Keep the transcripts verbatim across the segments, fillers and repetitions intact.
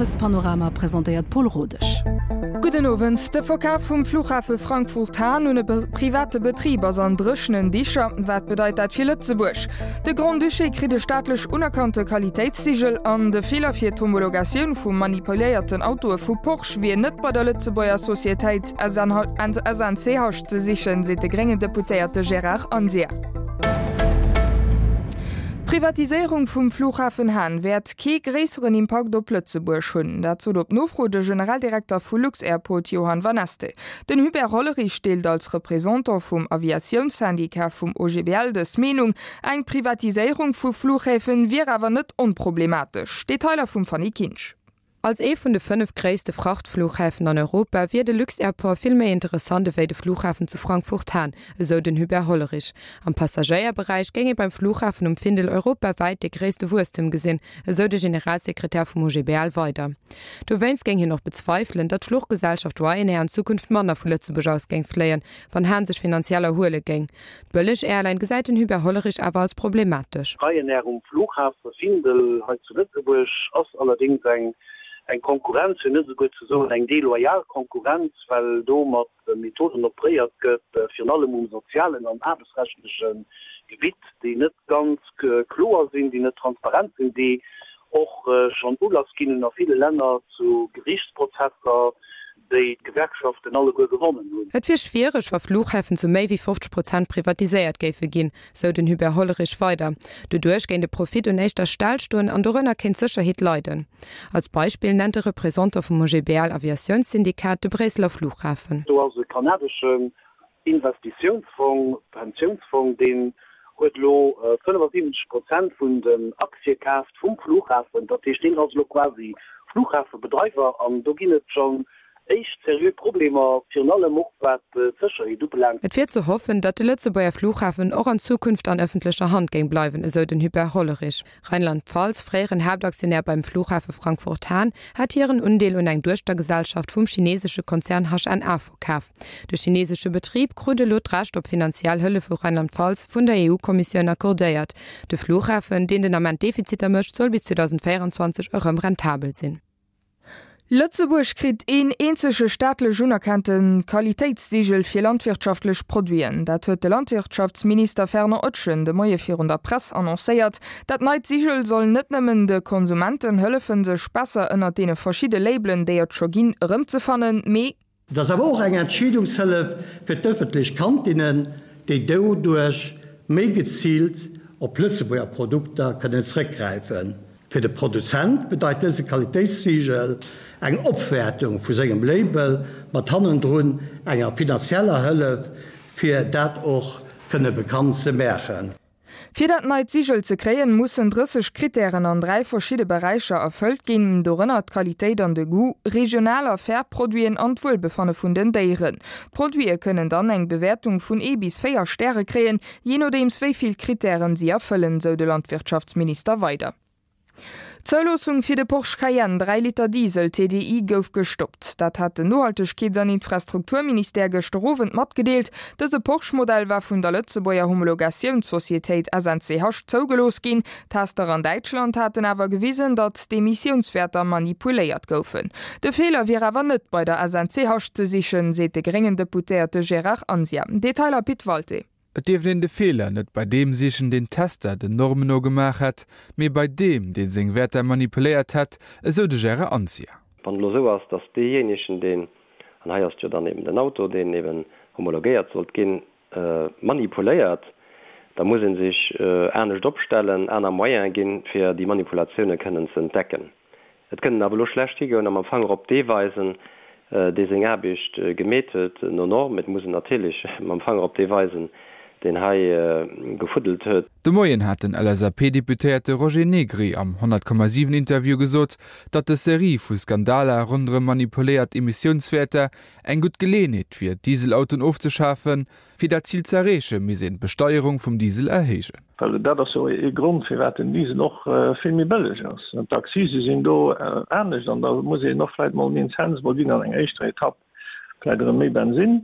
Owespanorama presentéiert d'Paule Rodesch. Gudden Owend. De Verkaf vum Flughafe Frankfurt-Hahn un e private Betrib ass an dréchenen Dicher. Wat bedeit dat fir Lëtzebuerg? De Grand-Duché kritt e staatlech unerkannte Qualitéitssigel an de Feeler fir d'Homologatioun vu manipuléierten Autoe vu Porsche wier net bei der Lëtzebuerger Societéit S N C H ze sichen, seet de gréngen Deputéierte Gérard Anzia. D'Privatiséierung vum Flughafen Hahn wäert kee gréisseren Impakt op Lëtzebuerg hunn. Dat sot op Nofro de Generaldirekter vu lux-Airport Johan Vanneste. Den Hubert Hollerich deelt als Représentant vum Aviatiounssyndicat vum O G B L dës Meenung. Eng Privatiséierung vu Flughäfen wier awer net onproblematesch. Detailer vum Fanny Kinsch. Als ee vun de fënnef gréisste Frachtflughäfen an Europa wier de lux-Airport vill méi interessant ewéi de Flughafen zu Frankfurt-Hahn, esou den Hubert Hollerich. Am Passagéierberäich géing ee beim Flughafen um Findel europawäit de gréisste Wuesstem gesinn, esou de Generalsekretär vum O G B L weider. Dowéinst géing hien och bezweifelen, datt d'Fluchgesellschaft Ryanair an Zukunft manner vu Lëtzebuerg aus géing fléien, wann Hahn sech finanziell erhuele géing. D'Bëlleg-Airline gesäit den Hubert Hollerich awer als problematesch. Ryanair um Flughafe Findel hei zu Lëtzebuerg ass allerdéngs eng eng Konkurrenz, fir net esouguer ze soen eng deloyal Konkurrenz, well do mat Methoden operéiert gëtt, virun allem um sozialen an aarbechtsrechtleche Gebitt, déi net ganz kloer sinn, déi net transparent sinn, déi och schonn Ulass ginn hunn a ville Länner zu Gerichtsprozesser, déi d'Gewerkschaften alleguer gewonnen hunn. Et wier schwiereg, wa Flughäfen zu méi wéi fofzeg Prozent privatiséiert géife ginn, sou den Hubert Hollerich weider. Doduerch géing de Profit un éischter Stell stoen an dorënner kéint d'Sécherheet leiden. Als Beispill nennt de Représentant vum O G B L Aviatiounssyndikat de Bréisseler Flughafen. Do ass e kanadeschen Investitiounsfong, Pensiounsfong, deen huet elo fënnefasiwwenzeg Prozent vun den Aktie kaaft vum Flughafen. Dat heescht, deen ass elo quasi Flughafebedreiwer an do ginn et schonn éischt seriö Problemer, virun allem och wat d'Sécherheet ubelaangt. Et wier ze hoffen, datt de Lëtzebuerger Flughafen och an Zukunft an ëffentlecher Hand géing bleiwen, esou den Hubert Hollerich. Rheinland-Pfalz, fréieren Haaptaktionär beim Flughafe Frankfurt-Hahn, hat hiren Undeel un eng Duechtergesellschaft vum chinesesche Konzern H N A verkaf. De chinesesche Betrib krut elo d'Recht op finanziell Hëllef vu Rheinland-Pfalz vun der E U-Kommissioun accordéiert. De Flughafen, deen den Ament Defiziter mécht, soll bis zweedausendvéierenzwanzeg erëm rentabel sinn. Lëtzebuerg kritt een eenzege staatlech unerkannte Qualitéitssigel fir landwirtschaftlech Produiten. Dat huet de Landwirtschaftsminister Fernand Etgen de Moie virun der Press annoncéiert. Dat neit Sigel soll net nëmmen de Konsumenten hëllefen, sech besser ënner deene verschiddene Labelen, déi et scho ginn, erëmzefannen, mee Et ass awer och eng Entscheedungshëllef fir d'ëffentlech Kantinnen, déi doduerch méi geziilt op Lëtzebuerger Produkter kënnen zréckgräifen. Fir de Produzent bedeit dëse Qualitéitssigel eng Opwäertung vu sengem Label mat hannendrun enger finanzieller Hëllef, fir dat och kënne bekannt ze maachen. Fir dat neit Sigel ze kréien, mussen drësseg Krittären an dräi verschidde Beräicher erfëllt ginn, dorënner d'Qualitéit an de Goût, regional a fair Produiten an d'Wuelbefanne vun den Déieren. D'Produite kënnen dann eng Bewäertung vun ee bis véier Stäre kréien, jee nodeems wéi vill Krittären si erfëllen, sou de Landwirtschaftsminister weider. D'Zouloossung fir de Porsche Cayenne dräi Liter Diesel T D I gouf gestoppt. Dat hat den Nohaltegkeets an Infrastrukturministère gëschter Owend matgedeelt. Dëse Porsche-Modell war vun der Lëtzebuerger Homologatiounssocietéit S N C H zougelooss ginn. Tester an Däitschland haten awer gewisen, datt d'Emissiounswäerter manipuléiert goufen. De Feeler wier awer net bei der S N C H ze sichen, seet de gréngen Deputéierte Gérard Anzia. Detailer Pit Walté. Et dierft een de Feeler net bei deem sichen, deen Tester den Normen no gemaach hätt, mee bei deem, dee seng Wäerter manipuléiert hätt, esou de Gérard Anzia. Wann et elo esou ass, datt deejéinegen, deen, an hei ass et jo dann eben den Auto, deen eben homologéiert sollt ginn, manipuléiert, da muss ee sech anescht opstellen, aner Moyene ginn, fir déi Manipulatioune kënnen ze entdecken. Et kënnt een awer elo schlecht higoen a mam Fanger op dee weisen, dee seng Aarbecht gemeet huet no Norm. Et muss een natierlech mam Fanger op dee weisen, deen hei gefuddelt huet. De Moien hat den L S A P-Deputéierte Roger Negri am honnert Komma siwen Interview gesot, datt des Serie vu Skandaler ronderëm manipuléiert Emissiounswäerter eng gutt Geleeënheet wier, d'Dieselautoen ofzeschafen. Fir dat Zil ze erreeche misst een d'Besteierung vum Diesel erhéijen. Well dat ass jo ee Grond, firwat den Diesel och vill méi bëlleg ass. D'Accise sinn do anescht an da muss een och vläicht mol en Incentive mol ginn an enger éischter Etapp, vläicht erëm méi Bensinn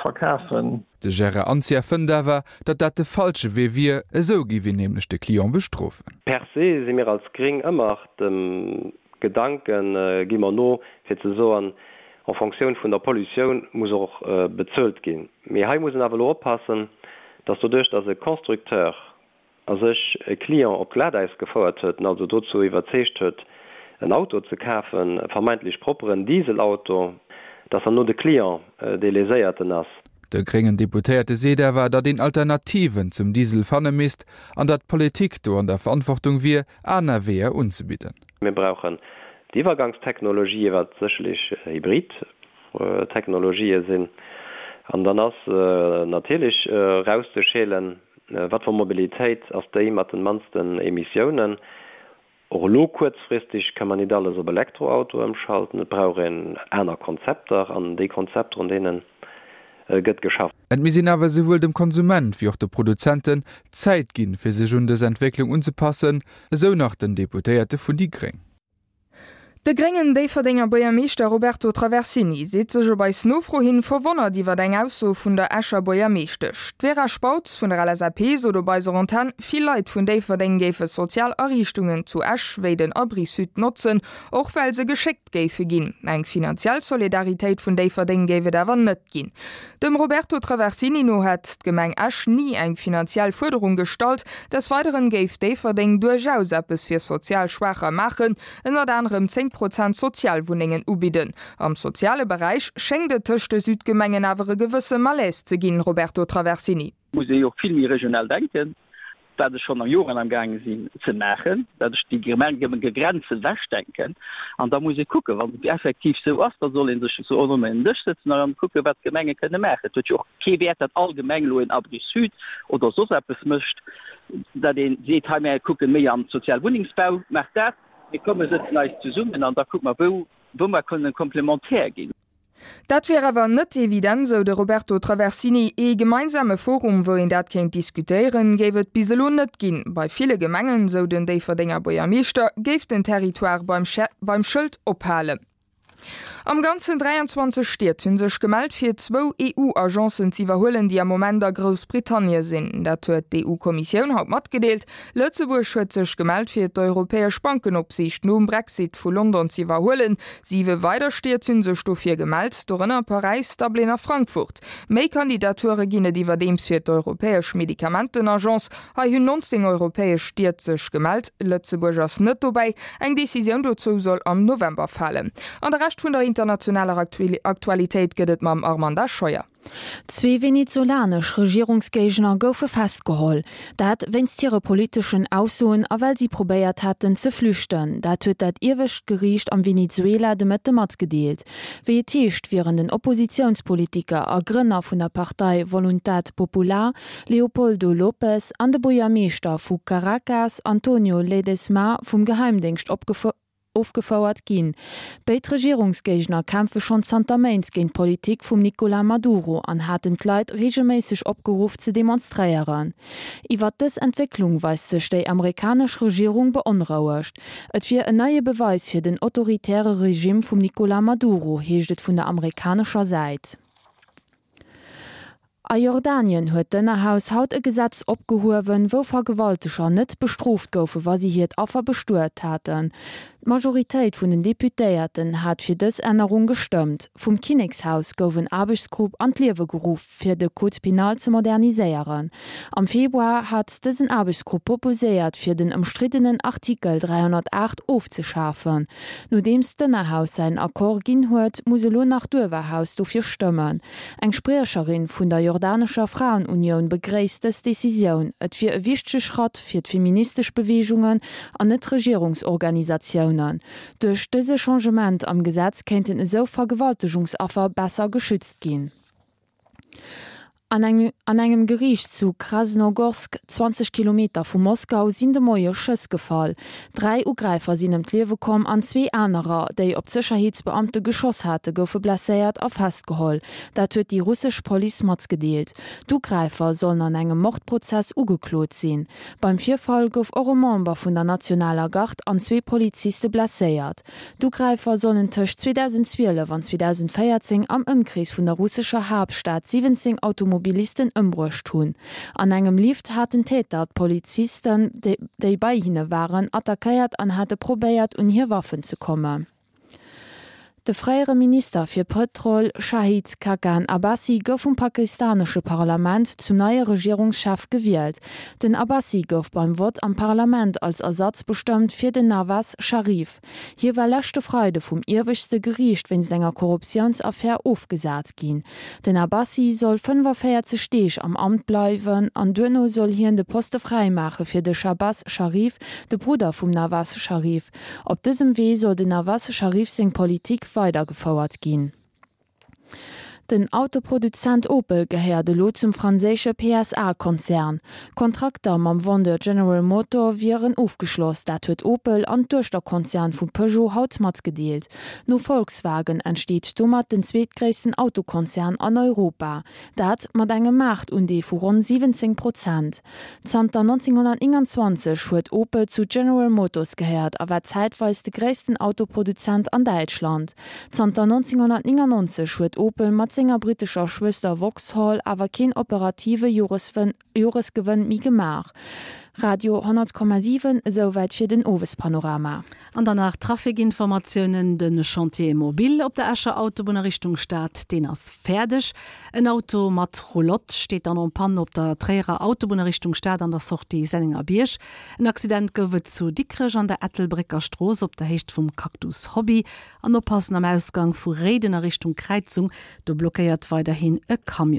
verkafen. De Gérard Anzia fënnt awer, datt dat de falsche Wee wier, esou géif een nämlech de Client bestrofen. Per se si mir als Gréng ëmmer dem Gedanke gi mer no, fir ze soen, en Fonctioun vun der Pollutioun muss och bezuelt ginn. Mee hei muss een awer elo oppassen, dass doduerch, dass e Constructeur a sech e Client op d'Glatäis gefouert huet, en also dozou iwwerzeegt huet, en Auto ze kafen, e vermeintlech propperen Dieselauto, dass herno de Client dee Léséierten ass. De gréngen Deputéierte seet awer, datt een Alternativen zum Diesel fanne misst an datt d'Politik do an der Verantwortung wier, aner Weeër unzebidden. Mir brauchen d'Iwwergangstechnologië, wat sécherlech Hybrid-Technologië sinn. An dann ass natierlech erauszeschélen, wat fir Mobilitéit ass déi mat den mannsten Emissiounen. Och elo kuerzfristeg ka mer nit alles op Elektroauto ëmschalten. Et brauch een aner Konzepter an déi Konzepter, un deene gëtt geschafft. Et misst een awer esouwuel dem Konsument wéi och de Produzenten Zäit ginn, fir sech un dës Entwécklung unzepassen, esou nach den Deputéierte vun déi gréng. De gréngen Déifferdenger Buergermeeschter Roberto Traversini seet sech op eis Nofro hin verwonnert iwwer eng Ausso vun der Escher Buergermeeschtesch. D'Vera Spautz vun der LSAP sot op eiser Antenn, vill Leit vun Déifferdeng géife sozial Ariichtungen zu Esch wéi den Abrisud notzen, och well se geschéckt géife ginn. Eng finanziell Solidaritéit vun Déifferdeng géif et awer net ginn. Dem Roberto Traversini no hätt d'Gemeng Esch ni eng finanziell Fuerderung gestallt. Des Weideren géif Déifferdeng duerchaus eppes fir sozial Schwaacher maachen, ënnert anerem zéng Prozent Sozialwunnengen ubidden. Am soziale Beräich schéngt et tëscht de Südgemengen awer e gewësse Malaise ze ginn, Roberto Traversini. Muss ee jo och vill méi regional denken, wat ech schonn Joren am gaange sinn ze maachen, dat ech déi Gemengegrenzen ewechdenken. An da muss ee kucken, wann et effektiv esou ass, da soll ee sech esou ronderëm en Dësch sëtzen a dann kucken, wat d'Gemenge kënne maachen. Et huet jo och kee Wäert, datt all Gemeng elo en Abri Sud oder soss eppes mécht, datt ee seet, hei mär kucken méi an Sozialwunnengsbau, maacht dat. Mir komme sëtzen eis zesummen an da kucke mer, wou wou mer kënnen komplementär ginn. Dat wier awer net evident, sou de Roberto Traversini. Ee gemeinsame Forum, wou een dat kéint diskutéieren, géif et bis elo net ginn. Bei ville Gemengen, sou den Déifferdenger Buergermeeschter, géif den Territoire beim beim Schëld ophalen. Am Ganzen dräianzwanzeg Stied hu sech gemellt, fir zwou E U-Agencen z'iwwerhuelen, déi am Moment a Groussbritannie sinn. Dat huet d'E U-Kommissioun haut matgedeelt. Lëtzebuerg huet sech gemellt, fir d'Europäesch Bankenopsiicht nom Brexit vu London z'iwwerhuelen. Siwe weider Stied hu sech dofir gemellt, dorënner Paräis, Dublin a Frankfurt. Méi Kandidature ginn et iwwerdeems fir d'Europäesch Medikamentenagence. Hei hunn nonzéng europäesch Stied sech gemellt, Lëtzebuerg ass net dobäi. Eng Decisioun dozou soll am November falen. An de Rescht vun der internationaler Aktualitéit gëtt et mam Armanda Scheuer. Zwee venezolanesch Regierungsgéigner goufe festgeholl. Dat wéinst hire politeschen Aussoen a well si probéiert haten ze flüchten. Dat huet dat iewescht Geriicht am Venezuela de Mëtte matgedeelt. Wéi et heescht, wieren den Oppositiounspolitiker a Grënner vun der Partei Voluntad Popular, Leopoldo López, an de Buergermeeschter vu Caracas, Antonio Ledezma, vum Geheimdéngscht ofgefouert ginn. Béid Regierungsgéigner kämpfe schonn zanter Méint géint d'Politik vum Nicolas Maduro an haten d'Leit reegelméisseg opgeruff ze demonstréieren. Iwwert dës Entwécklung weist sech déi amerikanesch Regierung beonrouegt. Et wier en neie Beweis fir den autoritäre Regime vum Nicolas Maduro, heescht et vun der amerikanescher Säit. A Jordanien huet d'Ënnerhaus haut e Gesetz opgehuewen, wou Vergewalteger net bestrooft goufen, wa si hiert Affer bestuet haten. D'Majoritéit vun den Deputéierten hat fir dës Ännerung gestëmmt. Vum Kinnekshaus gouf en Aarbechtsgrupp an d'Liewe geruff, fir de Code pénal ze moderniséieren. Am Februar hat dësen Aarbechtsgrupp proposéiert, fir den ëmstriddenen Artikel dräihonnertaacht ofzeschafen. Nodeems d'Ënnerhaus säin Accord ginn huet, muss elo nach d'Uewerhaus dofir stëmmen. Eng Spriecherin vun der jordanescher Fraenunioun begréisst dës Decisioun. Et wier e wichtege Schratt fir d'feministesch Beweegungen an Net-Regierungsorganisatiounen. Duerch dëse Changement am Gesetz kéinten esou Vergewaltegungsaffer besser geschützt ginn. An engem Geriicht zu Krasnogorsk, zwanzeg Kilometer vu Moskau, sinn de Moie Schëss gefall. Dräi Ugräifer sinn ëm d'Liewe komm an zwee anerer, déi op d'Sécherheetsbeamte geschoss hate goufe blesséiert a festgeholl. Dat huet déi russesch Police matgedeelt. D'Ugräifer sollen an engem Mordprozess ugeklot sinn. Beim Virfall gouf och e Member vun der nationaler Gard an zwee Poliziste blesséiert. D'Ugräifer sollen tëscht zweedausendzwielef an zweedausendvéierzéng am Ëmkrees vun der russescher Haaptstad siwwenzéng Automobilisten Automobilisten ëmbruecht hunn. An engem Lift haten d'Täter d'Polizisten, déi bei hinne waren, attackéiert an hate probéiert, un hir Waffen ze kommen. De fréiere Minister fir Pëtrol Shahid Khaqan Abbasi gouf vum pakistanesche Parlament zum neie Regierungschef gewielt. Den Abbasi gouf beim Vott am Parlament als Ersatz bestëmmt fir den Nawaz Sharif. Hie war leschte Freide vum ieweschte Geriicht wéinst enger Korruptiounsaffär ofgesat ginn. Den Abbasi soll fënnefoféierzeg Deeg am Amt bleiwen an duerno soll hien de Poste fräimaache fir de Shahbaz Sharif, de Brudder vum Nawaz Sharif. Op dësem Wee soll den Nawaz Sharif seng Politik weidergefouert ginn. Den Autoproduzent Opel gehéiert elo zum franséische P S A-Konzern. Kontrakter mam Vendeur General Motor wieren ofgeschloss, dat huet Opel an Duechterkonzern vu Peugeot haut matgedeelt. No Volkswagen entsteet domat den zweetgréissten Autokonzern an Europa, dat mat engem Maartundeel vu ronn siwwenzéng Prozent. Zanter nonzénghonnertnénganzwanzeg huet Opel zu General Motors gehéiert a war zäitweis de gréissten Autoproduzent an Däitschland. Zanter nonzénghonnertnéngannonzeg huet Opel mat senger brittescher Schwëster Vauxhall awer keen operative Joresgewënn méi gemaach. Radio honnert Komma siwen, Esouwäit fir den Owespanorama. An dann nach Trafikinformatiounen, De Chantier mobile op der Escher Autobunn a Richtung Stad, deen ass fäerdeg. En Auto mat Roulotte steet dann en panne op der Tréierer Autobunn a Richtung Stad an der Sortie Sennengerbierg. En Accident gouf et zu Dikrech an der Ettelbrécker Strooss op der Héicht vum Cactus Hobby. An oppassen am Ausgang vu Réiden a Richtung Kräizung, do blockéiert weiderhin e Camion.